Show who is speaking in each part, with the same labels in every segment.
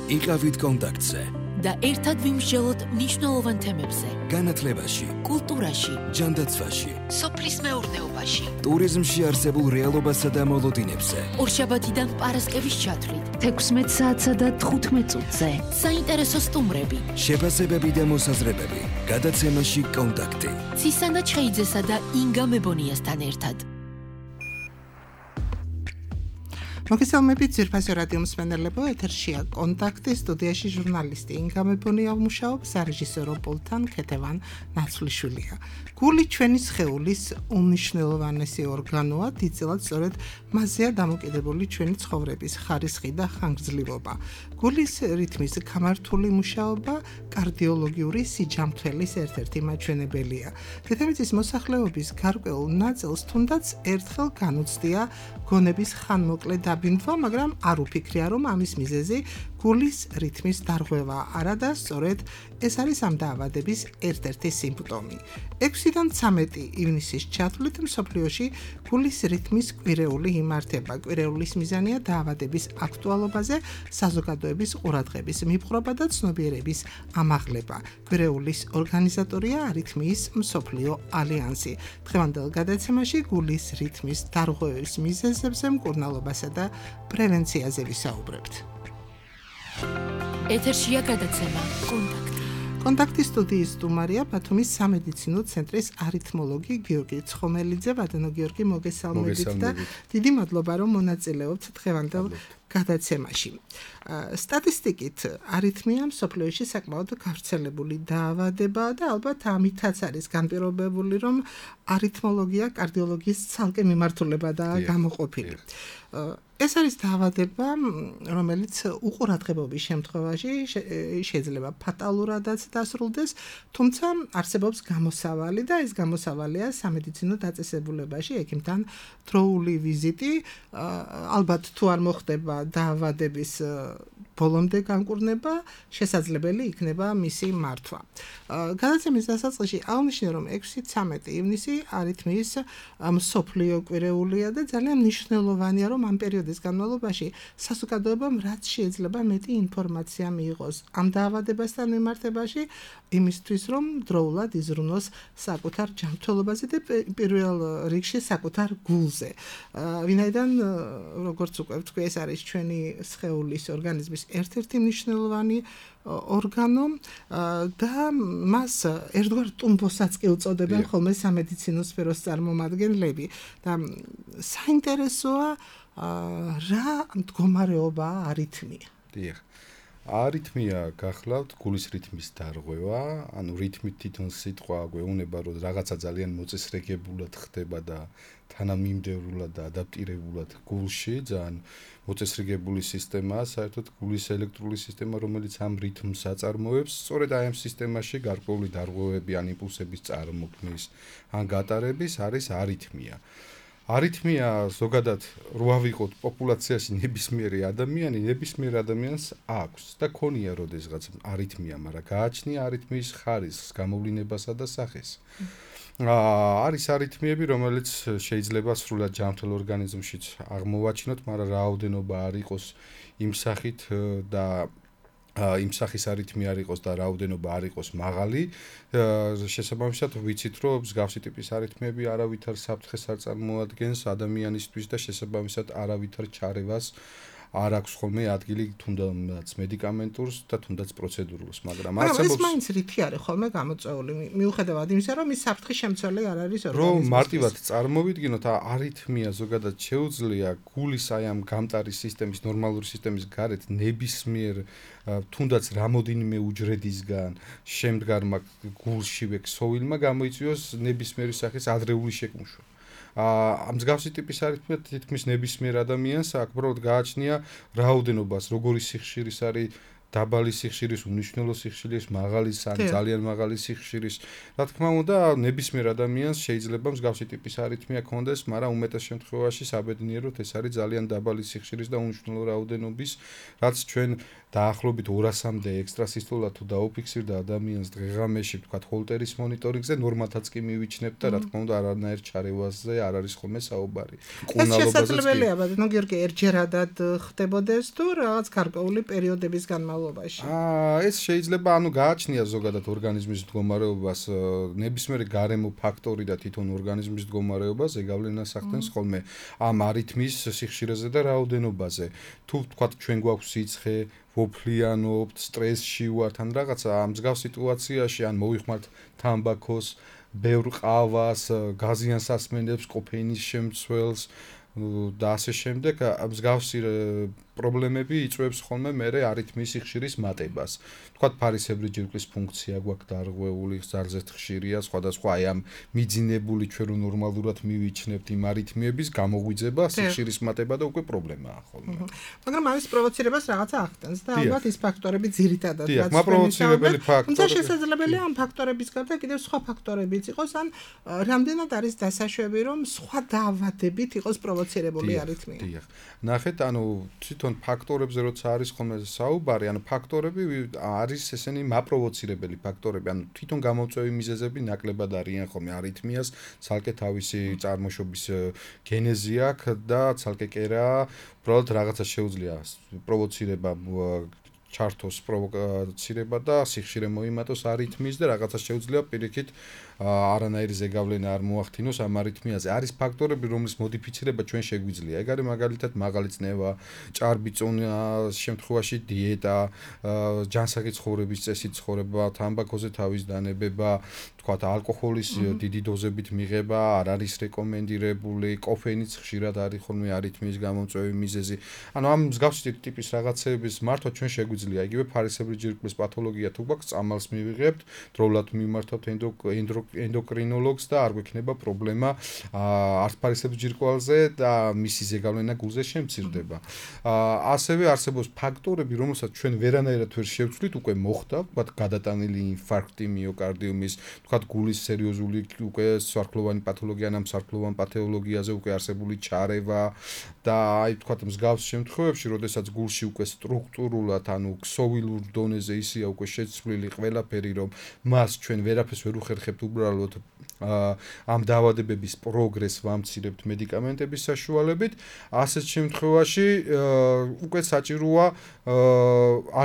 Speaker 1: იყავით კონტაქტზე
Speaker 2: და ერთად ვიმსჯელოთ მნიშვნელოვან თემებზე.
Speaker 1: განათლებაში,
Speaker 2: კულტურაში,
Speaker 1: ჯანდაცვაში,
Speaker 2: სოფლის მეურნეობაში,
Speaker 1: ტურიზმში არსებულ რეალობასა და მოლოდინებზე.
Speaker 2: ორშაბათიდან პარასკევის ჩათვლით
Speaker 3: 16 საათსა და 15 წუთზე.
Speaker 2: საინტერესო სტუმრები,
Speaker 1: შეფასებები და მოსაზრებები. გადაცემაში კონტაქტი.
Speaker 2: ცისანა ჩხეიძესა და ინგა მებონიასთან ერთად.
Speaker 4: მოგესალმებით ძვირფასო რადიო მსმენელებო, ეთერშია კონტაქტი, სტუდიაში ჟურნალისტი ინგა მებონია მუშაობს, სარეჟისორო პულტთან ქეთევან ნაცვლიშვილია. გული ჩვენი სხეულის უმნიშვნელოვანესი ორგანოა, დიდწილად სწორედ მასზეა დამოკიდებული ჩვენი ცხოვრების ხარისხი და ხანგრძლივობა. გულის რითმის გამართული მუშაობა კარდიოლოგიური სიჯამთველის ერთ-ერთი მაჩვენებელია. დედამიწის მოსახლეობის გარკვეულ ნაწილს თუნდაც ერთხელ განუცდია გონების ხანმოკლე დაბინდვა, მაგრამ არ უფიქრია, რომ ამის მიზეზი გულის რითმის დარღვევა არა და სწორედ ეს არის ამ დაავადების ერთ-ერთი სიმპტომი. 6-დან 13 ივნისის ჩათვლით მსოფლიოში გულის რითმის კვირეული იმართება. კვირეულის მიზანია დაავადების აქტუალობაზე საზოგადოების ყურადღების მიპყრობა და ცნობიერების ამაღლება. კვირეულის ორგანიზატორია არითმიის მსოფლიო ალიანსი. დღევანდელ გადაცემაში გულის რითმის დარღვევის მიზეზებზე, მკურნალობასა და პრევენციაზე ვისაუბრებთ.
Speaker 2: ეთერშია გადაცემა კონტაქტი.
Speaker 4: კონტაქტის სტუდიის სტუმარია ბათუმის სამედიცინო ცენტრის არითმოლოგი გიორგი ცხომელიძე. ბატონო გიორგი, მოგესალმებით და დიდი მადლობა, რომ მონაწილეობთ დღევანდელ გადაცემაში. სტატისტიკით არითმია მსოფლიოში საკმაოდ გავრცელებული დაავადებაა და ალბათ ამითაც არის განპირობებული, რომ არითმოლოგია კარდიოლოგიის ცალკე მიმართულებადაა გამოყოფილი. ეს არის დაავადება, რომელიც უყურადღებობის შემთხვევაში შეიძლება ფატალურადაც დასრულდეს, თუმცა არსებობს გამოსავალი და ეს გამოსავალია სამედიცინო დაწესებულებაში ექიმთან დროული ვიზიტი. ალბათ თუ არ მოხდება დაავადების ბოლომდე განკურნება, შესაძლებელი იქნება მისი მართვა. გადაცემის დასაწყისში აღნიშნე, რომ 6-13 ივნისი არითმიის მსოფლიო კვირეულია და ძალიან მნიშვნელოვანია, რომ ამ პერიოდის განმავლობაში საზოგადოებამ რაც შეიძლება მეტი ინფორმაცია მიიღოს ამ დაავადებასთან მიმართებაში, იმისთვის, რომ დროულად იზრუნოს საკუთარ ჯანმრთელობაზე და პირველ რიგში საკუთარ გულზე. ვინაიდან, როგორც უკვე ვთქვი, ეს არის ჩვენი სხეულის ორგანიზმის ერთ-ერთი მნიშვნელოვანი ორგანო და მას ერთგვარ ტუმბოსაც კი უწოდებენ ხოლმე სამედიცინო სფეროს წარმომადგენლები და საინტერესოა რა მდგომარეობაა არითმია.
Speaker 5: დიახ. არითმია გახლავთ გულის რითმის დარღვევა, ანუ რითმით თვითონ სიტყვა გვეუბნება, რომ რაღაცა ძალიან მოწესრიგებულად ხდება და თანამიმდევრულად და ადაპტირებულად გულში, ძალიან მოწესრიგებული სისტემაა, საერთოდ გულის ელექტრული სისტემა, რომელიც ამ რითმს აწარმოებს, სწორედ აი ამ სისტემაში გარკვეული დარღვევები ან იმპულსების წარმოქმნის ან გატარების არის არითმია. არითმია ზოგადად რო ავიღოთ პოპულაციაში ნებისმიერი ადამიანს აქვს და ქონია როდესღაც არითმია, მაგრამ გააჩნია არითმიის ხარისხს, გამოვლინებასა და სახეს. არის არითმიები, რომელიც შეიძლება სრულად ჯანმრთელ ორგანიზმშიც აღმოვაჩინოთ, მაგრამ რაოდენობა არ იყოს იმ სახით და იმ სახის არითმია არ იყოს და რაოდენობა არ იყოს მაღალი. შესაბამისად ვიცით, რომ მსგავსი ტიპის არითმიები არავითარ საფრთხეს არ წარმოადგენს ადამიანისთვის და შესაბამისად არავითარ ჩარევას არ აქვს ხოლმე ადგილი თუნდაც მედიკამენტურს და თუნდაც პროცედურულს, მაგრამ
Speaker 4: ეს მაინც რითი არის ხოლმე გამოწვეული, მიუხედავად იმისა, რომ ის საფრთხის შემცველი არ არის ორგანიზმისთვის.
Speaker 5: რომ მარტივად წარმოვიდგინოთ, არითმია ზოგადად შეუძლია გულის აი ამ გამტარი სისტემის, ნორმალური სისტემის გარეთ ნებისმიერ თუნდაც რამოდენიმე უჯრედისგან შემდგარმა გულშივე ქსოვილმა გამოიწვიოს ნებისმიერი სახის ადრეული შეკუმშვა. მსგავსი ტიპის არითმია თითქმის ნებისმიერ ადამიანს აქ უბრალოდ გააჩნია რაოდენობას, როგორი სიხშირის არის დაბალი სიხშირის, უმნიშვნელო სიხშირის, მაღალი ან ძალიან მაღალი სიხშირის. რა თქმა უნდა, ნებისმიერ ადამიანს შეიძლება მსგავსი ტიპის არითმია ჰქონდეს, მაგრამ უმეტეს შემთხვევაში საბედნიეროდ ეს არის ძალიან დაბალი სიხშირის და უმნიშვნელო რაოდენობის, რაც ჩვენ დაახლოებით 200-მდე ექსტრასისტოლა თუ დაუფიქსირდა ადამიანს დღეღამეში, თქვათ, ჰოლტერის მონიტორინგზე, ნორმათაც კი მივიჩნევთ და რა თქმა უნდა, არანაირ ჩარევაზე არ არის ხოლმე საუბარი.
Speaker 4: კუნალობაზეც კი. ეს შესაძლებელია, ბატონო გიორგი, ერთჯერადად ხდებოდეს თუ რაღაც გარკვეული პერიოდების განმავლობაში განმავლობაში?
Speaker 5: ეს შეიძლება გააჩნია ზოგადად ორგანიზმის მდგომარეობას ნებისმიერი გარემო ფაქტორი და თვითონ ორგანიზმის მდგომარეობა ზეგავლენას ახდენს ხოლმე ამ არითმის სიხშირეზე და რაოდენობაზე. თუ თქვათ ჩვენ გვაქვს სიცხე, ვოფლიანობთ, სტრესში ვართ ან რაღაცა ამ მსგავს სიტუაციაში ან მოვიხმართ თამბაქოს, ბევრ ყავას, გაზიან სასმელებს, კოფეინის შემცველს და ასე შემდეგ მსგავსი პრობლემები იწვევს ხოლმე მერე არითმის სიხშირის მატებას. თქვათ ფარისებრი ჯირკვლის ფუნქცია გვაქვს დარღვეული, ზარზეთ ხშირია, სხვადასხვა აი ამ მიძინებული ჩვენ რო ნორმალურად მივიჩნევთ იმ არითმიების გამოღვიძება, სიხშირის მატება და უკვე პრობლემაა ხოლმე.
Speaker 4: მაგრამ ამის პროვოცირებას რაღაცა ახდენს და ალბათ ის ფაქტორები ძირითადად
Speaker 5: რაც პროვოცირებელი ფაქტორები.
Speaker 4: თუმცა შესაძლებელია ამ ფაქტორების გარდა კიდევ სხვა ფაქტორებიც იყოს, ან რამდენად არის დასაშვები, რომ სხვა დაავადებით იყოს პროვოცირებული არითმია.
Speaker 5: დიახ. ნახეთ, თვითონ ფაქტორებზე როცა არის ხოლმე საუბარი, ფაქტორები არის ესენი მაპროვოცირებელი ფაქტორები, თვითონ გამოწვევი მიზეზები ნაკლებად არიან ხოლმე არითმიას, ცალკე თავისი წარმოშობის გენეზი აქვს და ცალკე კერა, უბრალოდ რაღაცა შეუძლია პროვოცირება ჩართოს პროვოკაცირება და სიხშირე მოიმატოს არითმიის და რაღაცა შეუძლია პირიქით არანაირი ზეგავლენა არ მოახდინოს ამ არითმიაზე. არის ფაქტორები, რომლის მოდიფიცირება ჩვენ შეგვიძლია. ეგ არის მაგალითად მაღალი წნევა, ჭარბი წონა, შემთხვევაში დიეტა, ჯანსაღი ცხოვრების წესი ცხოვრება, თამბაქოზე თავის დანებება, თქვათ ალკოჰოლის დიდი დოზებით მიღება არ არის რეკომენდირებული, კოფეინიც ხშირად არის ხოლმე არითმიის გამომწვევი მიზეზი. ამ მსგავსი ტიპის რაღაცეების მართვა ჩვენ შეგვიძლია. იგივე ფარისებრი ჯირკვლის პათოლოგია თუ გვაქვს, წამალს მივიღებთ, დროულად მიმართავთ ენდოკრინოლოგს და არ გვექნება პრობლემა არც ფარისებრი ჯირკვალზე და მისი ზეგავლენა გულზე შემცირდება. ასევე არსებობს ფაქტორები, რომელსაც ჩვენ ვერანაირად ვერ შევცვლით, უკვე მოხდა, თქვათ გადატანილი ინფარქტი მიოკარდიუმის, თქვათ გულის სერიოზული უკვე სარქლოვანი პათოლოგია, ამ სარქლოვან პათოლოგიაზე უკვე არსებული ჩარევა და თქვათ მსგავს შემთხვევებში, როდესაც გულში უკვე სტრუქტურულად, ქსოვილურ დონეზე ისია უკვე შეცვლილი ყველაფერი, რომ მას ჩვენ ვერაფერს ვერ უხერხებთ უბრალოდ ამ დაავადებების პროგრესს ვამცირებთ მედიკამენტების საშუალებით, ასეთ შემთხვევაში უკვე საჭიროა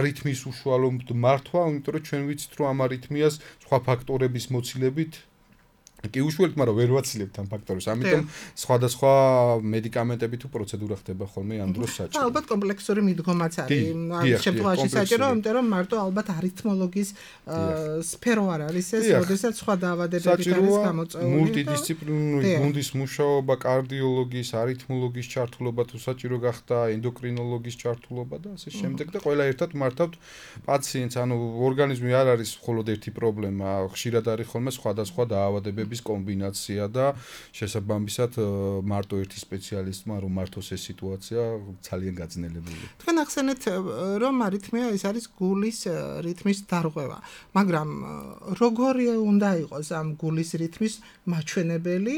Speaker 5: არითმიის უშუალოდ მართვა, იმიტომ რომ ჩვენ ვიცით, რომ ამ არითმიას სხვა ფაქტორების მოცილებით კი უშუალოდ, მაგრამ ვერ ვაცილებთ ამ ფაქტორებს. ამიტომ სხვადასხვა მედიკამენტები თუ პროცედურა ხდება ხოლმე ამ დროს საჭირო.
Speaker 4: ალბათ კომპლექსური მიდგომაც არის. ამ შემთხვევაში საჭირო, იმიტომ რომ მარტო ალბათ არითმოლოგის სფერო არ არის ეს, როდესაც სხვა დაავადებებით არის გამოწვეული.
Speaker 5: მულტიდისციპლინური გუნდის მუშაობა, კარდიოლოგის, არითმოლოგის ჩართულობა თუ საჭირო გახდა, ენდოკრინოლოგის ჩართულობა და ასე შემდეგ და ყველა ერთად მართავთ პაციენტს. ორგანიზმი არ არის მხოლოდ ერთი პრობლემა, ხშირად არის ხოლმე სხვადასხვა დაავადებები კომბინაცია და შესაბამისად მარტო ერთი სპეციალისტმა რომ მართოს ეს სიტუაცია ძალიან გაძნელებული.
Speaker 4: თქვენ ახსენეთ რომ არითმია ეს არის გულის რითმის დარღვევა, მაგრამ როგორი უნდა იყოს ამ გულის რითმის მაჩვენებელი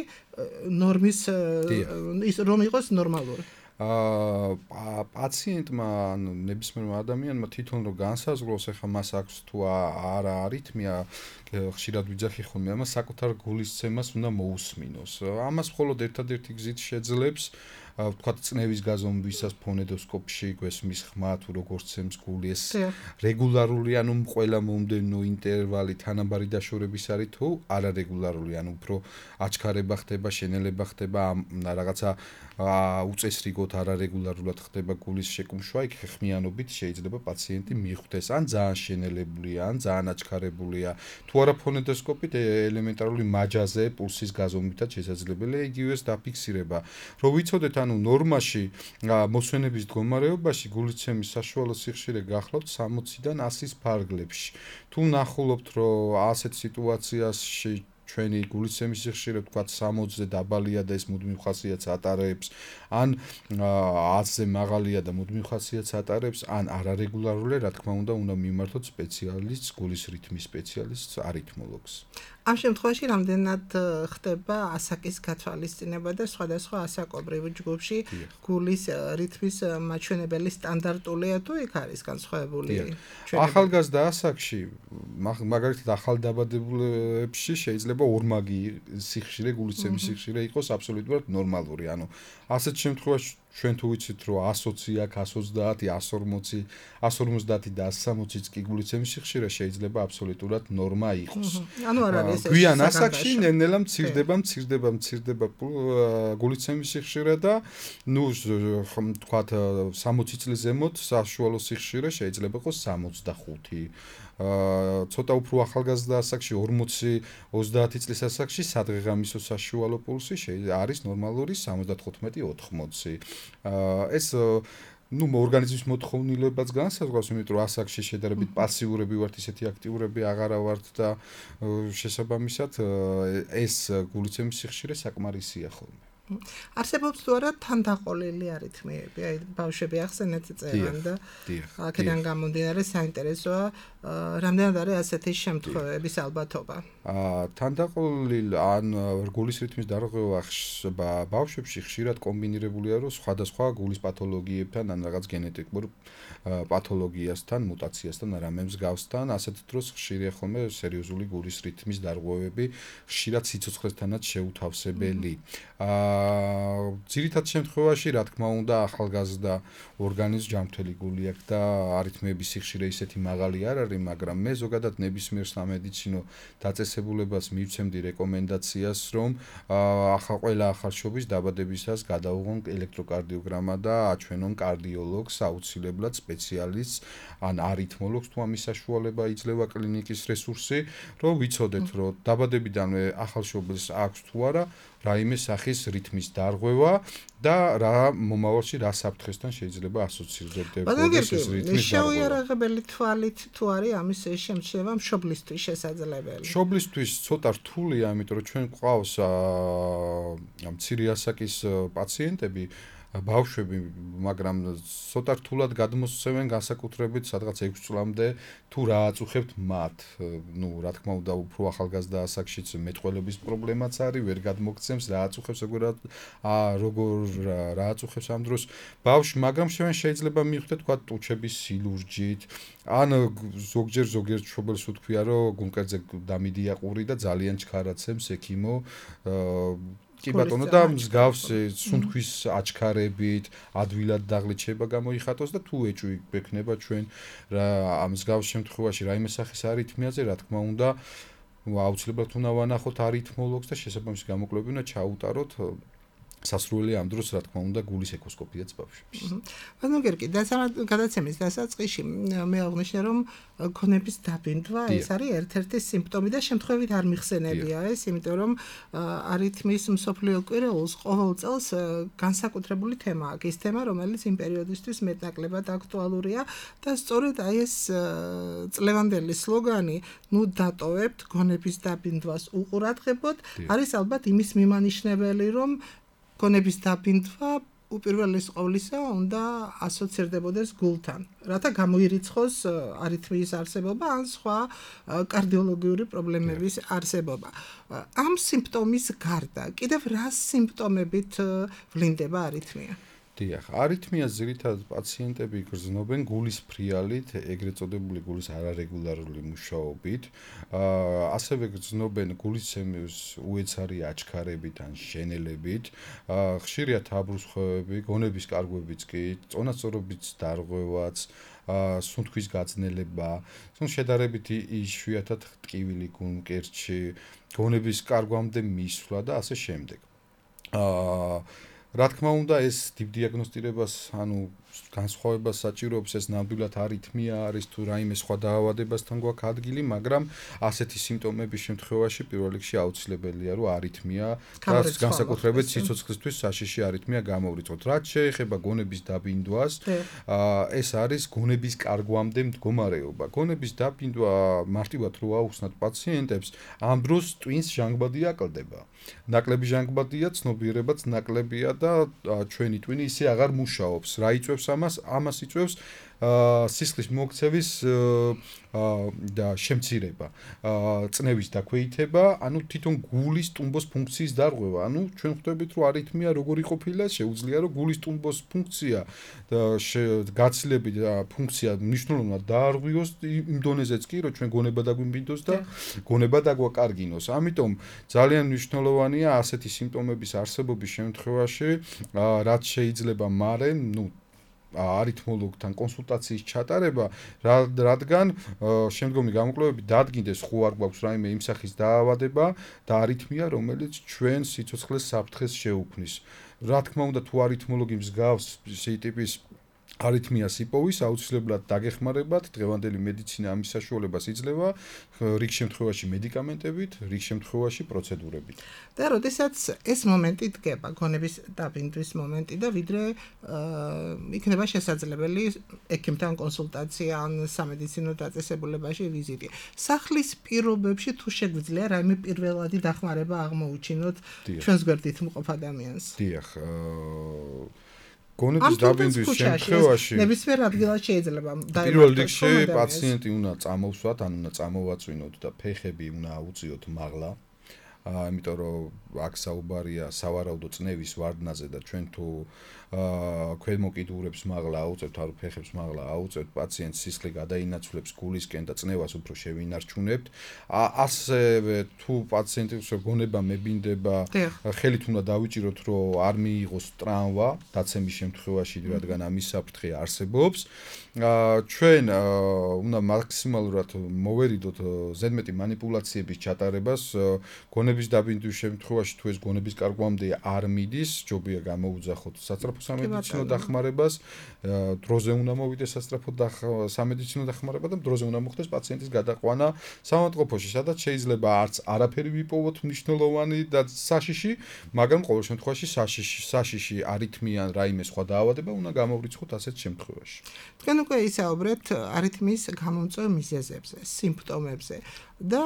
Speaker 4: ნორმის ის რომ იყოს ნორმალური?
Speaker 5: პაციენტმა ნებისმიერმა ადამიანმა თვითონ რომ განსაზღვროს ახლა მას აქვს თუ არა არითმია ხშირად ვიძახი ხოლმე ამას საკუთარ გულისცემას უნდა მოусმინოს. ამას მხოლოდ ერთადერთი გზით შეძლებს ვთქვათ წნევის გაზომვისას ფონედოსკოპში გვესმის ხმა თუ როგორ ცემს გული ეს რეგულარული ყველა მომდევნო ინტერვალი თანაბარი დაშორების არის თუ არარეგულარული უფრო აჩქარება ხდება შენელება ხდება რაღაცა უწესრიგოდ არარეგულარულად ხდება გულის შეკუმშვა იქ ხმიანობით შეიძლება პაციენტი მიხვდეს ან ძალიან შენელებულია ან ძალიან აჩქარებულია თუ არა ფონედოსკოპით ელემენტარული მაჯაზე პულსის გაზომვითაც შესაძლებელია იგივეს დაფიქსირება რომ ვიცოდეთ ნორმაში მოსვენების მდგომარეობაში გულისცემის საშუალო სიხშირე გახლავთ 60-დან 100-ის ფარგლებში. თუ ნახულობთ, რომ ასეთ სიტუაციაში ჩვენი გულისცემის სიხშირე თქვათ 60-ზე დაბალია და ეს მუდმივ ხასიათს ატარებს, ან 100-ზე მაღალია და მუდმივ ხასიათს ატარებს, ან არარეგულარულია, რა თქმა უნდა, უნდა მიმართოთ სპეციალისტს, გულის რითმის სპეციალისტს, არითმოლოგს.
Speaker 4: ამ შემთხვევაში რამდენად ხდება ასაკის გათვალისწინება და სხვადასხვა ასაკობრივ ჯგუფში გულის რითმის მაჩვენებელი სტანდარტულია თუ იქ არის განსხვავებული?
Speaker 5: ახალგაზრდა ასაკში, მაგალითად ახალდაბადებულებში შეიძლება ორმაგი სიხშირე, გულისცემის სიხშირე იყოს აბსოლუტურად ნორმალური. ასეთ შემთხვევაში ჩვენ თუ ვიცით რომ 120 აქ 130 140 150 და 160-იც კი გულისცემის სიხშირე შეიძლება აბსოლუტურად ნორმა იყოს.
Speaker 4: ანუ არ არის ეს
Speaker 5: გვიან ასაკში ნელ-ნელა მცირდება გულისცემის სიხშირე და ნუ თქვათ 60 წლის ზემოთ საშუალო სიხშირე შეიძლება იყოს 65. ცოტა უფრო ახალგაზრდა ასაკში 40-30 წლის ასაკში სადღეღამისო საშუალო პულსი არის ნორმალური 75-80. ეს ნუ ორგანიზმის მოთხოვნილებაც განსაზღვრავს, იმიტომ რომ ასაკში შედარებით პასიურები ვართ, ისეთი აქტიურები აღარა ვართ და შესაბამისად ეს გულისცემის სიხშირე საკმარისია ხოლმე.
Speaker 4: არსებობს თუ არა თანდაყოლილი არითმიები, აი ბავშვები ახსენეთ წერან და აქედან გამომდინარე საინტერესოა, რამდენად არის ასეთი შემთხვევების ალბათობა.
Speaker 5: თანდაყოლილი ან გულის რითმის დარღვევა ბავშვებში ხშირად კომბინირებულია რომ სხვადასხვა გულის პათოლოგიებთან ან რაღაც გენეტიკურ პათოლოგიასთან, მუტაციასთან, რამე მსგავსთან, ასეთ დროს ხშირია ხოლმე სერიოზული გულის რითმის დარღვევები, ხშირად სიცოცხლესთანაც შეუთავსებელი. ძირითად შემთხვევაში, რა თქმა უნდა, ახალგაზრდა ორგანიზმს ჯანმრთელი გული აქვს და არითმიების სიხშირე ისეთი მაღალი არ არის, მაგრამ მე ზოგადად ნებისმიერ სამედიცინო დაწესებულებას მივცემდი რეკომენდაციას, რომ ყველა ახალშობის დაბადებისას გადაუღონ ელექტროკარდიოგრამა და აჩვენონ კარდიოლოგს, აუცილებლად სპეციალისტს ან არითმოლოგს, თუ ამის საშუალება იძლევა კლინიკის რესურსი, რომ ვიცოდეთ, რომ დაბადებიდანვე ახალშობილს აქვს თუ არა რაიმე სახის რითმის დარღვევა და რა მომავალში რა საფრთხესთან შეიძლება ასოცირდებოდეს ეს რითმის დარღვევა.
Speaker 4: შეუიარაღებელი თვალით თუ არის ამის შემჩნევა მშობლისთვის შესაძლებელი.
Speaker 5: მშობლისთვის ცოტა რთულია, იმიტომ რომ ჩვენ გვყავს მცირე ასაკის პაციენტები, ბავშვები, მაგრამ ცოტა რთულად გადმოსცემენ განსაკუთრებით სადღაც 6 წლამდე თუ რა აწუხებთ მათ. ნუ რა თქმა უნდა, უფრო ახალგაზრდა ასაკშიც მეტყველების პრობლემაც არის, ვერ გადმოგცემს რა აწუხებს, როგორ რა აწუხებს ამ დროს ბავშვი, მაგრამ შეიძლება მივხვდეთ თქვა ტუჩების სილურჯით, ან ზოგიერთ მშობელს უთქვია, რომ გულმკერდზე დამიდია ყური და ძალიან ჩქარაცემს ექიმო კი ბატონო და მსგავსი სუნთქვის აჩქარებით, ადვილად დაღლით შეიძლება გამოიხატოს და თუ ეჭვი გვექნება ჩვენ რა ამ მსგავს შემთხვევაში რაიმე სახის არითმიაზე, რა თქმა უნდა, აუცილებლად უნდა ვანახოთ არითმოლოგს და შესაბამისი გამოკვლევები უნდა ჩაუტაროთ სასრული ამ დროს, რა თქმა უნდა, გულის ეკოსკოპიაც ბავშვებში.
Speaker 4: ანუ გერგი, გადაცემის დასაწყისში მე აღნიშნე, რომ ქონების დაბინდვა ეს არის ერთ-ერთი სიმპტომი და შემთხვევით არ მიხსენებია ეს, იმიტომ რომ არითმის მსოფლიო კვირეულს ყოველ წელს განსაკუთრებული თემა აქვს. ის თემა, რომელიც იმ პერიოდისთვის მეტნაკლებად აქტუალურია და სწორედ აი ეს წლევანდელი სლოგანი, ნუ დატოვებთ ქონების დაბინდვას უყურადღებოთ, არის ალბათ იმის მიმანიშნებელი, რომ ქონების დაბინდვა უპირველეს ყოვლისა უნდა ასოცირდებოდეს გულთან, რათა გამოირიცხოს არითმიის არსებობა ან სხვა კარდიოლოგიური პრობლემების არსებობა. ამ სიმპტომის გარდა, კიდევ რა სიმპტომებით ვლინდება არითმია?
Speaker 5: დიახ, არითმიას ძირითადად პაციენტები გრძნობენ გულის ფრიალით, ეგრეთ წოდებული გულის არარეგულარული მუშაობით, ასევე გრძნობენ გულისცემის უეცარი აჩქარებით ან შენელებით, ხშირია თაბრუსხვევები, გონების კარგვებიც კი, წონასწორობის დარღვევაც, სუნთქვის გაძნელება, შედარებით იშვიათად ტკივილი გულმკერდში, გონების კარგვამდე მისვლა და ასე შემდეგ. რა თქმა უნდა, ეს დიაგნოსტირებას, ანუ განსხვავებას საჭიროებს, ეს ნამდვილად არითმია არის თუ რაიმე სხვა დაავადებასთან გვაქვს ადგილი, მაგრამ ასეთი სიმპტომების შემთხვევაში პირველ რიგში აუცილებელია, რომ არითმია და განსაკუთრებით სიცოცხლისთვის საშიში არითმია გამოვრიცხოთ. რაც შეეხება გონების დაბინდვას, ეს არის გონების კარგვამდე მდგომარეობა. გონების დაბინდვა მარტივად რო აუხსნათ პაციენტებს, ამ დროს ტვინს ჟანგბადი აკლდება. ნაკლები ჟანგბადია, ცნობიერებაც ნაკლებია და ჩვენი ტვინი ისე აღარ მუშაობს. რა იწვევს იწვევს ამას იწვევს სისხლის მოქცევის და შემცირება, წნევის დაქვეითება, ანუ თვითონ გულის ტუმბოს ფუნქციის დარღვევა. ანუ ჩვენ ხვდებით, რომ არითმია როგორი ყოფილა, შეუძლია რომ გულის ტუმბოს ფუნქცია და გაცილებით ფუნქცია მნიშვნელოვნად დაარღვიოს იმ დონეზეც კი, რომ ჩვენ გონება დაგვიმბიდოს და გონება დაგვაკარგინოს. ამიტომ ძალიან მნიშვნელოვანია ასეთი სიმპტომების არსებობის შემთხვევაში, რაც შეიძლება მარე, არითმოლოგთან კონსულტაციის ჩატარება, რადგან შემდგომი გამოკვლევები დადგინდეს, ხო არ გვაქვს რაიმე იმ სახის დაავადება და არითმია, რომელიც ჩვენ სიცოცხლეს საფრთხეს შეუქმნის. რა თქმა უნდა, თუ არითმოლოგი მსგავს ტიპის არითმიას იპოვის, აუცილებლად დაგეხმარებათ, დღევანდელი მედიცინა ამის საშუალებას იძლევა, რიგ შემთხვევაში მედიკამენტებით, რიგ შემთხვევაში პროცედურებით.
Speaker 4: და როდესაც ეს მომენტი დგება, გონების დაბინდვის მომენტი და ვიდრე იქნება შესაძლებელი ექიმთან კონსულტაცია ან სამედიცინო დაწესებულებაში ვიზიტი. სახლის პირობებში თუ შეგვიძლია რაიმე პირველადი დახმარება აღმოუჩინოთ ჩვენს გვერდით მყოფ ადამიანს.
Speaker 5: დიახ, გონების დაბინდვის შემთხვევაში
Speaker 4: ნებისმიერ ადგილას შეიძლება
Speaker 5: პირველ რიგში პაციენტი უნდა წამოვსვათ, ან უნდა წამოვაწვინოთ და ფეხები უნდა აუწიოთ მაღლა. იმიტომ რომ აქ საუბარია სავარაუდო წნევის ვარდნაზე და ჩვენ თუ ქვემოკიდურებს მაღლა აუწევთ, არ ფეხებს მაღლა აუწევთ, პაციენტს სისხლი გადაინაცვლებს გულისკენ და წნევას უფრო შევინარჩუნებთ. ასევე თუ პაციენტის გონება მებინდება, ხელით უნდა დავიჭიროთ, რომ არ მიიღოს ტრამვა დაცემის შემთხვევაში, რადგან ამის საფრთხე არსებობს. ჩვენ უნდა მაქსიმალურად მოვერიდოთ ზედმეტი მანიპულაციების ჩატარებას. გონების დაბინდვის შემთხვევაში თუ ეს გონების კარგვამდე არ მიდის, ჯობია გამოუძახოთ სასწრაფო სამედიცინო დახმარებას, დროზე უნდა მოვიდეს სასწრაფო სამედიცინო დახმარება და დროზე უნდა მოხდეს პაციენტის გადაყვანა საავადმყოფოში, სადაც შეიძლება არც არაფერი ვიპოვოთ მნიშვნელოვანი და საშიში, მაგრამ ყოველ შემთხვევაში საშიში არითმია ან რაიმე სხვა დაავადება უნდა გამოვრიცხოთ ასეთ შემთხვევაში.
Speaker 4: თქვენ უკვე ისაუბრეთ არითმიის გამომწვევ მიზეზებზე, სიმპტომებზე და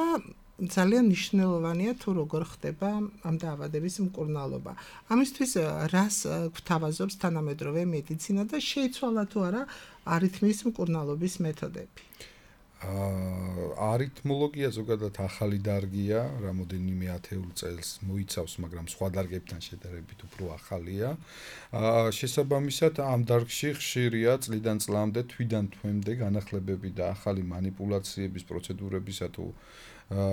Speaker 4: ძალიან მნიშვნელოვანია თუ როგორ ხდება ამ დაავადების მკურნალობა. ამისთვის რას გვთავაზობს თანამედროვე მედიცინა და შეიცვალა თუ არა არითმიის მკურნალობის მეთოდები?
Speaker 5: არითმოლოგია ზოგადად ახალი დარგია, რამოდენიმე ათეულ წელს მოიცავს, მაგრამ სხვა დარგებთან შედარებით უფრო ახალია. შესაბამისად, ამ დარგში ხშირია წლიდან წლამდე, თვიდან თვემდე განახლებები და ახალი მანიპულაციების პროცედურებისა თუ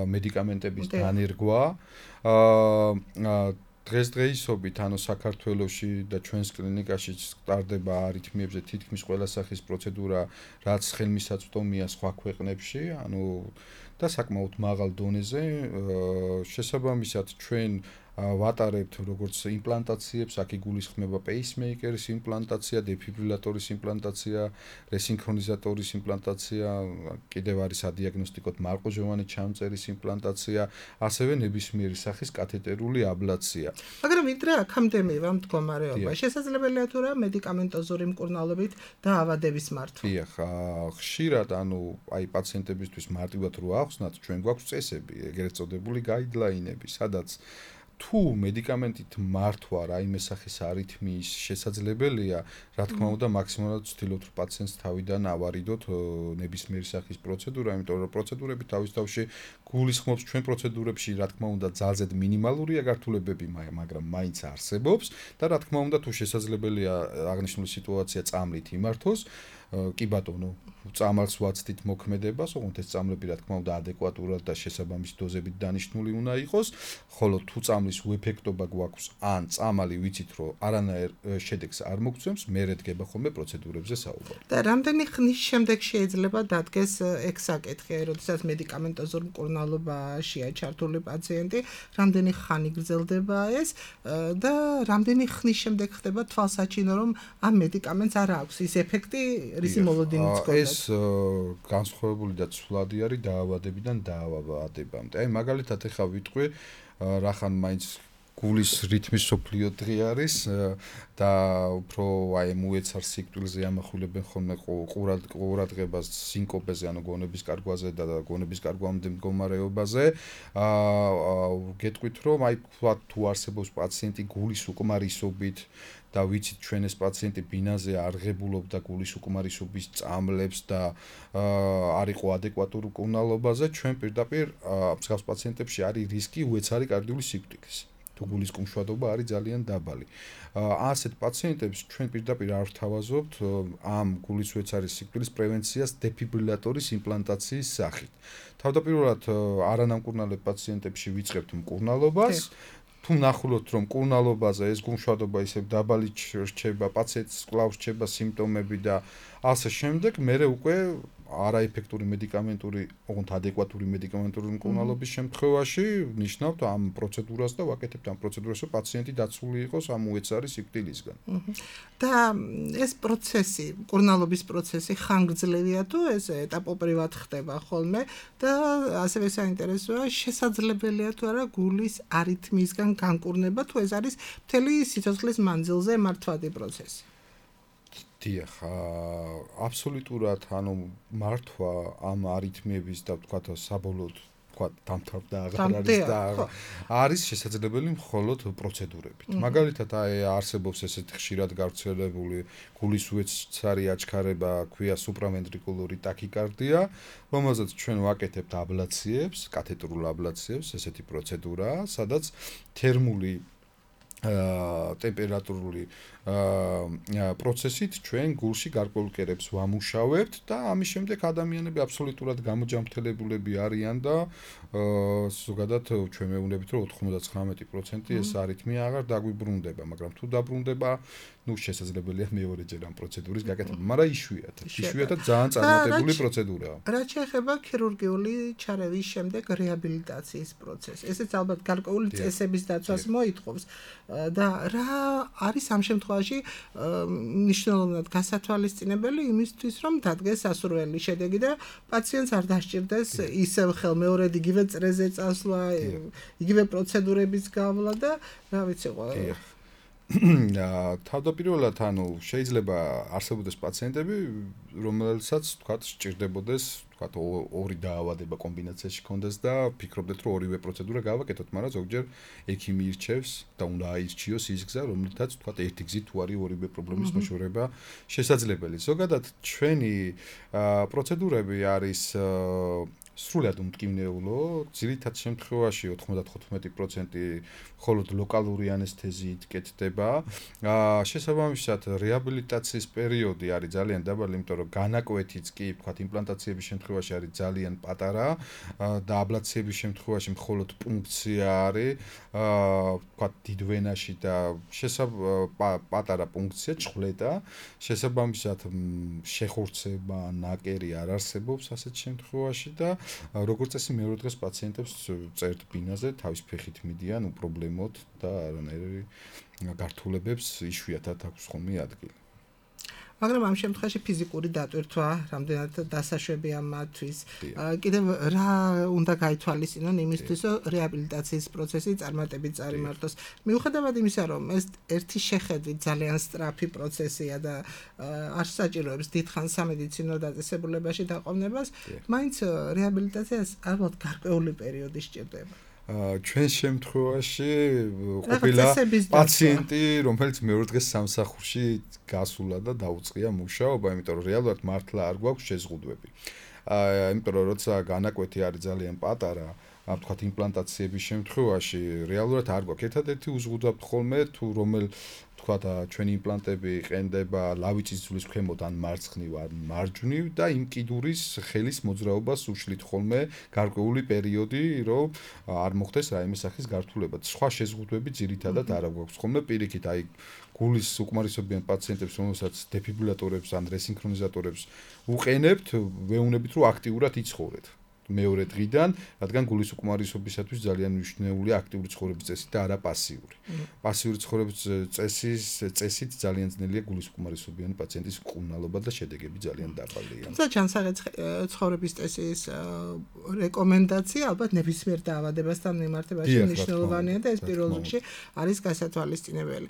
Speaker 5: მედიკამენტების დანერგვა. დღესდღეობით ანუ საქართველოში და ჩვენს კლინიკაში სტარდება არითმიებზე თითქმის ყველა სახის პროცედურა, რაც ხელმისაწვდომია სხვა ქვეყნებში, ანუ და საკმაოდ მაღალ დონეზე. შესაბამისად, ჩვენ ვატარებთ როგორც იმპლანტაციებს, აქ იგულისხმება პეისმეიკერის იმპლანტაცია, დეფიბრილატორის იმპლანტაცია, რესინქრონიზატორის იმპლანტაცია, კიდევ არის ადიაგნოსტიკოთ მარყუჟოვანი ჩამწერის იმპლანტაცია, ასევე ნებისმიერი სახის კათეტერული აბლაცია.
Speaker 4: მაგრამ ვიდრე აქამდე მივა მდგომარეობა, შესაძლებელია თუ რა მედიკამენტოზური მკურნალობით დაავადების მართვა?
Speaker 5: დიახ, ხშირად ანუ აი პაციენტებისთვის მარტივად რო ახსნათ, ჩვენ გვაქვს წესები, ეგრეთ წოდებული გაიდლაინები, სადაც თუ მედიკამენტით მართვა რაიმე სახის არითმიის შესაძლებელია, რა თქმა უნდა, მაქსიმალურად ვცდილობთ პაციენტს თავიდან ავარიდოთ ნებისმიერი სახის პროცედურა, იმიტომ რომ პროცედურები თავის თავში გულისხმობს ჩვენ პროცედურებში, რა თქმა უნდა, ძალზედ მინიმალურია გართულებები, მაგრამ მაინც არსებობს და რა თქმა უნდა, თუ შესაძლებელია აღნიშნული სიტუაცია წამლით იმართოს, კი ბატონო, წამალს ვაცდით მოქმედებას, ოღონდ ეს წამლები რა თქმა უნდა ადეკვატურად და შესაბამისი დოზებით დანიშნული უნდა იყოს, ხოლო თუ წამლის უეფექტობა გვაქვს, ან წამალი ვიცით, რომ არანაირ შედეგს არ მოგცემს, მერე დგება ხოლმე პროცედურებზე საუბარი.
Speaker 4: და რამდენი ხნის შემდეგ შეიძლება დადგეს ეგ საკითხი, როდესაც მედიკამენტოზურ მკურნალობაშია ჩართული პაციენტი, რამდენი ხანი გრძელდება ეს და რამდენი ხნის შემდეგ ხდება თვალსაჩინო, რომ ამ მედიკამენტს არ აქვს ის ეფექტი, რისი მოლოდინიც გქონდა.
Speaker 5: ეს განსხვავებული და ცვლადი არის დაავადებიდან დაავადებამდე. აი მაგალითად ეხა ვიტყვი, რახან მაინც გულის რითმის სოფლიო დღე არის და უფრო აი მოეცარ სიკვდილზე ამახვილებენ ხოლმე ყურადღებას სინკოპეზე, ანუ გონების კარგვაზე და გონების კარგვამდე მდგომარეობაზე. გეტყვით, რომ აი თუ არსებობს პაციენტი გულის უკმარისობით და ვიცით ჩვენ ეს პაციენტი ბინაზე არღებულობდა გულის უკმარისობის წამლებს და არ იყო ადეკვატურ მკურნალობაზე, ჩვენ პირდაპირ მსგავს პაციენტებში არის რისკი უეცარი კარდიული სიკვდილის. თუ გულის კუმშვადობა არის ძალიან დაბალი. ასეთ პაციენტებს ჩვენ პირდაპირ არ ვთავაზობთ ამ გულის უეცარი სიკვდილის პრევენციას დეფიბრილატორის იმპლანტაციის სახით. თავდაპირველად არანამკურნალებ პაციენტებში ვიწყებთ მკურნალობას. თუ ნახულობთ, რომ მკურნალობაზე ეს გუმშვადობა ისევ დაბალი რჩება, პაციენტს კვლავ რჩება სიმპტომები და ასე შემდეგ, მერე უკვე არაეფექტური მედიკამენტური, ოღონდ ადეკვატური მედიკამენტური მკურნალობის შემთხვევაში ნიშნავთ ამ პროცედურას და ვაკეთებთ ამ პროცედურას, რომ პაციენტი დაცული იყოს ამ უეცარი სიკვდილისგან.
Speaker 4: და ეს პროცესი, მკურნალობის პროცესი ხანგრძლივია თუ ეს ეტაპობრივად ხდება ხოლმე და ასევე საინტერესოა, შესაძლებელია თუ არა გულის არითმიისგან განკურნება, თუ ეს არის მთელი სიცოცხლის მანძილზე მართვადი პროცესი.
Speaker 5: დიახ, აბსოლუტურად, მართვა ამ არითმიების და ვთქვათ საბოლოოდ დამთავრდა აღარ არის და არის შესაძლებელი მხოლოდ პროცედურებით. მაგალითად, არსებობს ესეთი ხშირად გავრცელებული გულის უეცარი აჩქარება, ქვია სუპრავენტრიკულური ტაქიკარდია, რომელზეც ჩვენ ვაკეთებთ აბლაციებს, კათეტრულ აბლაციებს, ესეთი პროცედურაა, სადაც თერმული ტემპერატურული პროცესით ჩვენ გულში გარკვეულ კერებს ვამუშავებთ და ამის შემდეგ ადამიანები აბსოლუტურად გამოჯამრთელებულები არიან და ზოგადად ჩვენ მეუბნებით რომ 99% ეს არითმია აღარ დაგვიბრუნდება, მაგრამ თუ დაბრუნდება, შესაძლებელია მეორეჯერ ამ პროცედურის გაკეთება, მაგრამ იშვიათად ძალიან წარმატებული პროცედურაა.
Speaker 4: რაც შეეხება ქირურგიული ჩარევის შემდეგ რეაბილიტაციის პროცესს, ესეც ალბათ გარკვეული წესების დაცვას მოითხოვს და რა არის ამ შემთხვევაში მნიშვნელოვნად გასათვალისწინებელი იმისთვის, რომ დადგეს სასურველი შედეგი და პაციენტს არ დასჭირდეს ისევ ხელმეორედ იგივე წრეზე წასვლა, იგივე პროცედურების გავლა და რა ვიცი ყველა.
Speaker 5: თავდაპირველად შეიძლება არსებობდეს პაციენტები, რომელსაც თქვათ სჭირდებოდეს, თქვათ ორი დაავადება კომბინაციაში კონდეს და ფიქრობდეთ, რომ ორივე პროცედურა გავაკეთოთ, მაგრამ ზოგჯერ ექიმი ირჩევს და უნდა აირჩიოს ის გზა, რომლითაც თქვათ ერთი გზით თუ არის ორივე პრობლემის მოშორება შესაძლებელი. ზოგადად ჩვენი პროცედურები არის სრულად უმტკივნეულო, ძირითად შემთხვევაში 95% მხოლოდ ლოკალური ანესთეზიით კეთდება. შესაბამისად, რეაბილიტაციის პერიოდი არის ძალიან დაბალი, იმიტომ რომ განაკვეთიც კი, ვთქვათ, იმპლანტაციების შემთხვევაში არის ძალიან პატარა და აბლაციების შემთხვევაში მხოლოდ პუნქცია არის, ვთქვათ, დიდ ვენაში და პატარა პუნქცია, ჩხვლეტა. შესაბამისად, შეხორცება, ნაკერი არ არსებობს ასეთ შემთხვევაში და როგორც წესი მეორე დღეს პაციენტებს წერთ ბინაზე, თავის ფეხით მიდიან უპრობლემოდ და არანაირი გართულებებს იშვიათად აქვს ხოლმე ადგილი.
Speaker 4: მაგრამ ამ შემთხვევაში ფიზიკური დატვირთვა რამდენად დასაშვებია მათთვის. კიდევ რა უნდა გაითვალისწინონ იმისთვის, რომ რეაბილიტაციის პროცესი წარმატებით წარიმართოს. მიუხედავად იმისა, რომ ეს ერთი შეხედვით ძალიან სწრაფი პროცესია და არ საჭიროებს დიდხანს სამედიცინო დაწესებულებაში დაყოვნებას, მაინც რეაბილიტაციას ალბათ გარკვეული პერიოდი სჭირდება.
Speaker 5: ჩვენ შემთხვევაში ყოფილა პაციენტი, რომელიც მეორე დღეს სამსახურში გასულა და დაუწყია მუშაობა, იმიტომ რომ რეალურად მართლა არ გვაქვს შეზღუდვები. იმიტომ რომ როცა განაკვეთი არის ძალიან პატარა, ვთქვათ, იმპლანტაციების შემთხვევაში რეალურად არ გვაქვს. ერთადერთი უზღუდავთ ხოლმე თუ რომელ ვთქვათ, ჩვენი იმპლანტები ყენდება ლავიწის ძვლის ქვემოთ ან მარცხნივ ან მარჯვნივ და იმ კიდურის ხელის მოძრაობას უშლით ხოლმე გარკვეული პერიოდი, რომ არ მოხდეს რაიმე სახის გართულება. სხვა შეზღუდვები ძირითადად არ გვაქვს ხოლმე პირიქით, აი გულის უკმარისობიან პაციენტებს, რომელსაც დეფიბრილატორებს ან რესინქრონიზატორებს უყენებთ, ვეუბნებით, რომ აქტიურად იცხოვრეთ. მეორე დღიდან, რადგან გულის უკმარისობისათვის ძალიან მნიშვნელოვანია აქტიური ცხოვრების წესი და არა პასიური. პასიური ცხოვრების წესით ძალიან ძნელია გულის უკმარისობიანი პაციენტის მკურნალობა და შედეგები ძალიან დაბალია.
Speaker 4: თუმცა ჯანსაღი ცხოვრების წესის რეკომენდაცია ალბათ ნებისმიერ დაავადებასთან მიმართებაში მნიშვნელოვანია და ეს პირველ რიგში არის გასათვალისწინებელი.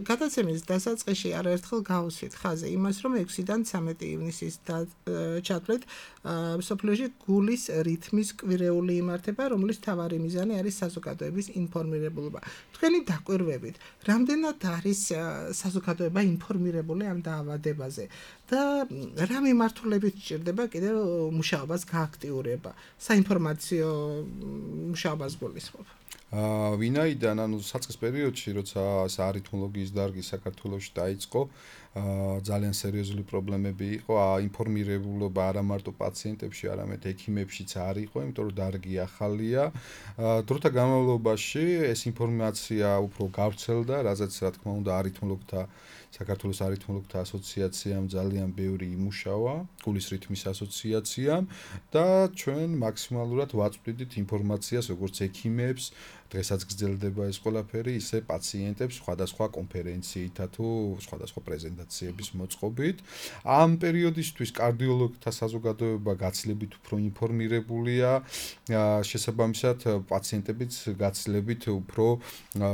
Speaker 4: გადაცემის დასაწყისში არაერთხელ გავუსვით ხაზი იმას, რომ 6-დან 13 ივნისის ჩათვლით მსოფლიოში გულის რითმის კვირეული იმართება, რომლის მთავარი მიზანი არის საზოგადოების ინფორმირებულობა. თქვენი დაკვირვებით, რამდენად არის საზოგადოება ინფორმირებული ამ დაავადებაზე და რა მიმართულებით სჭირდება კიდევ მუშაობას გააქტიურება, საინფორმაციო მუშაობას გულისხმობ.
Speaker 5: ვინაიდან საწყის პერიოდში, როცა არითმოლოგიის დარგი საქართველოში დაიწყო, ძალიან სერიოზული პრობლემები იყო, ინფორმირებულობა არა მარტო პაციენტებში, არამედ ექიმებშიც არ იყო, იმიტომ რომ დარგი ახალია. დროთა განმავლობაში ეს ინფორმაცია უფრო გავრცელდა, რაზეც რა თქმა უნდა საქართველოს არითმოლოგთა ასოციაციამ ძალიან ბევრი იმუშავა, გულის რითმის ასოციაციამ და ჩვენ მაქსიმალურად ვაწვდით ინფორმაციას როგორც ექიმებს, დღესაც გრძელდება ეს ყველაფერი, ისე პაციენტებს სხვადასხვა კონფერენციითა თუ სხვადასხვა პრეზენტაციების მოწყობით. ამ პერიოდისთვის კარდიოლოგთა საზოგადოება გაცილებით უფრო ინფორმირებულია, შესაბამისად პაციენტებიც გაცილებით უფრო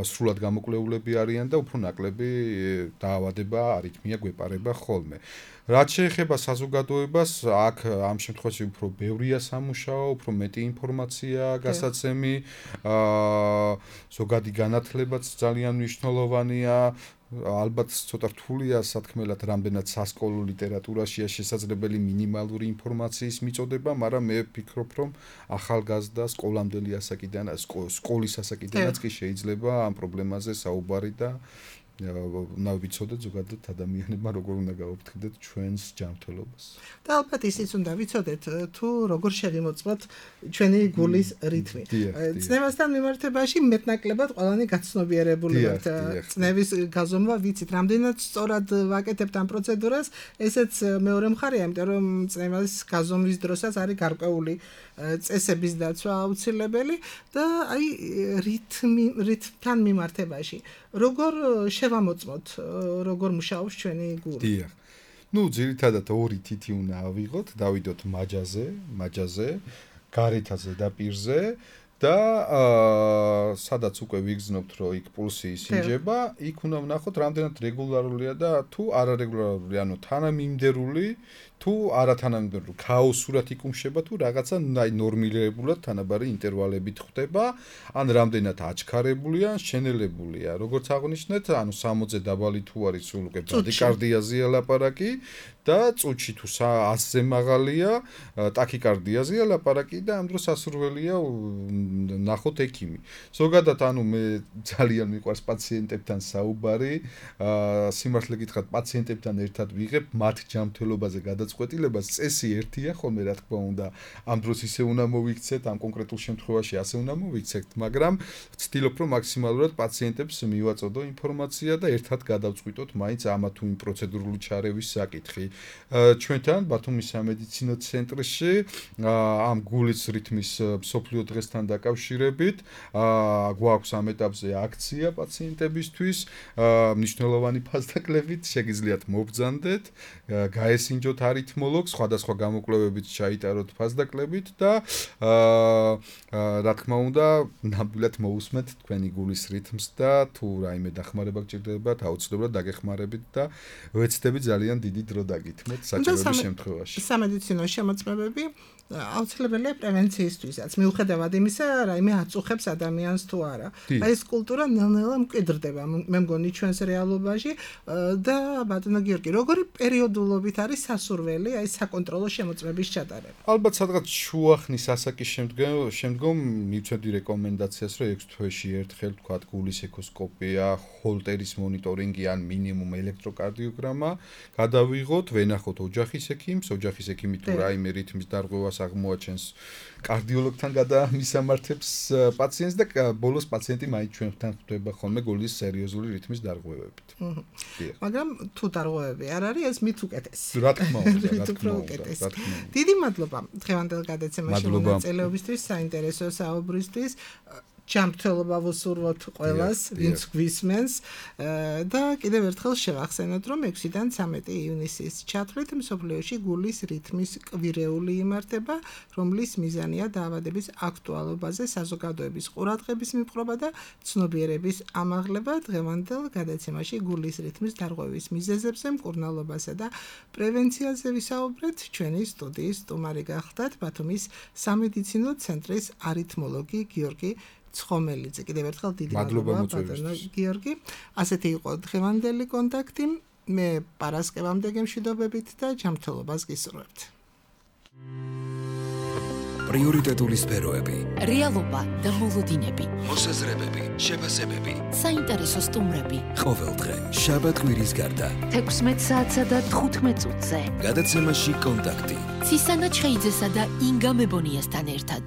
Speaker 5: სრულად გამოკვლეულები არიან და უფრო ნაკლები დაავადება, არითმია გვეპარება ხოლმე. რაც შეეხება საზოგადოებას, აქ ამ შემთხვევაში უფრო ბევრია სამუშაო, უფრო მეტი ინფორმაცია გასაცემი, ზოგადი განათლებაც ძალიან მნიშვნელოვანია. ალბათ ცოტა რთულია სათქმელად რამდენად სასკოლო ლიტერატურაშია შესაძლებელი მინიმალური ინფორმაციის მიწოდება, მაგრამ მე ვფიქრობ, რომ ახალგაზრდა სკოლამდელი ასაკიდან, სკოლის ასაკიდანაც კი შეიძლება ამ პრობლემაზე საუბარი და უნდა ვიცოდეთ ზოგადად ადამიანებმა როგორ უნდა გაუფრთხილდეთ ჩვენს ჯანმრთელობას.
Speaker 4: და ალბათ ისიც უნდა ვიცოდეთ თუ როგორ შეგიმოწმოთ ჩვენი გულის რითმი. წნევასთან მიმართებაში მეტნაკლებად ყველანი გაცნობიერებული ვართ. წნევის გაზომვა ვიცით, რამდენად სწორად ვაკეთებთ ამ პროცედურას, ესეც მეორე მხარეა, იმიტომ რომ წნევის გაზომვის დროსაც არის გარკვეული წესების დაცვა აუცილებელი და აი რითმთან მიმართებაში როგორ შევამოწმოთ, როგორ მუშაობს ჩვენი გული.
Speaker 5: დიახ. ძირითადად ორი თითი უნდა ავიღოთ, დავიდოთ მაჯაზე, გარეთაზე და პირზე და სადაც უკვე ვიგრძნობთ, რომ იქ პულსი ისინჯება, იქ უნდა ვნახოთ, რამდენად რეგულარულია და თუ არარეგულარული, ანუ თანამიმდევრული, თუ არათანამიმდევრული, ქაოსურად იკუმშება თუ რაღაცა ნორმირებულად თანაბარი ინტერვალებით ხდება, ან რამდენად აჩქარებულია, ან შენელებულია. როგორც აღნიშნეთ, ანუ 60-ზე დაბალი თუ არის სულ უკვე ბრადიკარდიაზეა ლაპარაკი და წუთში თუ 100-ზე მაღალია, ტაქიკარდიაზეა ლაპარაკი და ამ დროს სასურველია ნახოთ ექიმი. ზოგადად მე ძალიან მიყვარს პაციენტებთან საუბარი, სიმართლე გითხრათ, პაციენტებთან ერთად ვიღებ მათ ჯანმრთელობაზე გადაწყვეტილებას, წესი ერთია ხოლმე რა თქმა უნდა, ამ დროს ისე უნდა მოვიქცეთ, ამ კონკრეტულ შემთხვევაში ასე უნდა მოვიქცეთ, მაგრამ ვცდილობ რომ მაქსიმალურად პაციენტებს მივაწოდო ინფორმაცია და ერთად გადავწყვიტოთ მაინც ამა თუ იმ პროცედურული ჩარევის საკითხი. ჩვენთან ბათუმის სამედიცინო ცენტრში ამ გულის რითმის მსოფლიო დღესთან დაკავშირებით გვაქვს ამ ეტაპზე აქცია პაციენტებისთვის, მნიშვნელოვანი ფასდაკლებით, შეგიძლიათ მობრძანდეთ, გაესინჯოთ არითმოლოგს, სხვადასხვა გამოკვლევებით ჩაიტაროთ ფასდაკლებით და რა თქმა უნდა, ნამდვილად მოусმეთ თქვენი გულის რითმს და თუ რაიმე დახმარება გჭირდებათ, აუცილებლად დაგეხმარებით და ვეცდები ძალიან დიდი დრო დაგითმოთ საჭიროების შემთხვევაში.
Speaker 4: სამედიცინო შემოწმებები აუცილებელია პრევენციისთვისაც. მიუხედავად იმისა, რაიმე აწუხებს ადამიანს თუ არა. აი ეს კულტურა ნელ-ნელა მკვიდრდება, მე მგონი ჩვენს რეალობაში და ბატონო გიორგი, როგორი პერიოდულობით არის სასურველი აი საკონტროლო შემოწმების ჩატარება?
Speaker 5: ალბათ სადღაც შუახნის ასაკის შემდგომ მივცემდი რეკომენდაციას, რომ 6 თვეში ერთხელ თქვა გულის ეკოსკოპია, ჰოლტერის მონიტორინგი ან მინიმუმ ელექტროკარდიოგრამა გადავიღოთ, ვენახოთ ოჯახის ექიმს, ოჯახის ექიმი თუ რაიმე რითმის დარღვევას აღმოაჩენს კარდიოლოგთან გადამისამართებს პაციენტს და ბოლოს პაციენტი მაინც ჩვენთან ხვდება ხოლმე გულის სერიოზული რითმის დარღვევებით.
Speaker 4: მაგრამ თუ დარღვევები არ არის, ეს მით უკეთესი.
Speaker 5: რა თქმა უნდა.
Speaker 4: დიდი მადლობა დღევანდელ გადაცემაში მონაწილეობისთვის, საინტერესო საუბრისთვის. ჯანმრთელობა ვუსურვოთ ყველას, ვინც გვისმენს და კიდევ ერთხელ შევახსენოთ, რომ 6-დან 13 ივნისის ჩათვლით მსოფლიოში გულის რითმის კვირეული იმართება, რომლის მიზანია დაავადების აქტუალობაზე საზოგადოების ყურადღების მიპყრობა და ცნობიერების ამაღლება. დღევანდელ გადაცემაში გულის რითმის დარღვევის მიზეზებზე, მკურნალობასა და პრევენციაზე ვისაუბრეთ. ჩვენი სტუდიის სტუმარი გახლდათ ბათუმის სამედიცინო ცენტრის არითმოლოგი გიორგი ცხომელიძე. კიდევ ერთხელ დიდი მადლობა ბატონო გიორგი. ასეთი იყო დღევანდელი კონტაქტი. მე პარასკევამდე გემშვიდობებით და ჯანმრთელობას გისურვებთ.
Speaker 1: პრიორიტეტული სფეროები,
Speaker 2: რეალობა და მოლოდინები,
Speaker 1: მოსაზრებები, შეფასებები,
Speaker 2: საინტერესო სტუმრები.
Speaker 1: ყოველდღე შაბათ-კვირის გარდა
Speaker 3: 16 საათსა და 15 წუთზე.
Speaker 1: გადაცემაში კონტაქტი.
Speaker 2: ცისანა ჩხეიძესა და ინგა მებონიასთან ერთად.